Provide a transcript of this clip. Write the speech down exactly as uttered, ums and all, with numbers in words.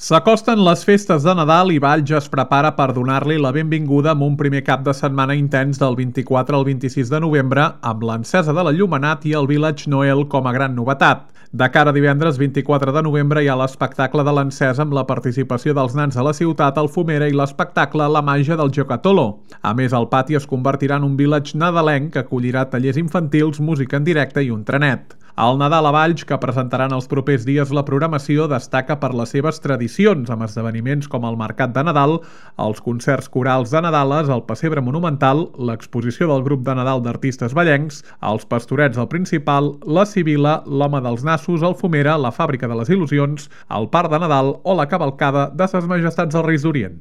S'acosten les festes de Nadal i Valls es prepara per donar-li la benvinguda amb un primer cap de setmana intens del vint-i-quatre al vint-i-sis de novembre amb l'encesa de l'enllumenat i el Village Noel com a gran novetat. De cara a divendres vint-i-quatre de novembre hi ha l'espectacle de l'encesa amb la participació dels nans de la ciutat, el Fumera i l'espectacle La màgia del Giocatolo. A més, el pati es convertirà en un village nadalenc que acollirà tallers infantils, música en directe i un trenet. El Nadal a Valls, que presentaran els propers dies la programació, destaca per les seves tradicions, amb esdeveniments com el Mercat de Nadal, els concerts corals de Nadales, el Pessebre Monumental, l'exposició del grup de Nadal d'artistes vallencs, els Pastorets al Principal, la Sibila, l'Home dels Nassos, el Fumera, la Fàbrica de les Il·lusions, el Parc de Nadal o la cavalcada de Ses Majestats dels Reis d'Orient.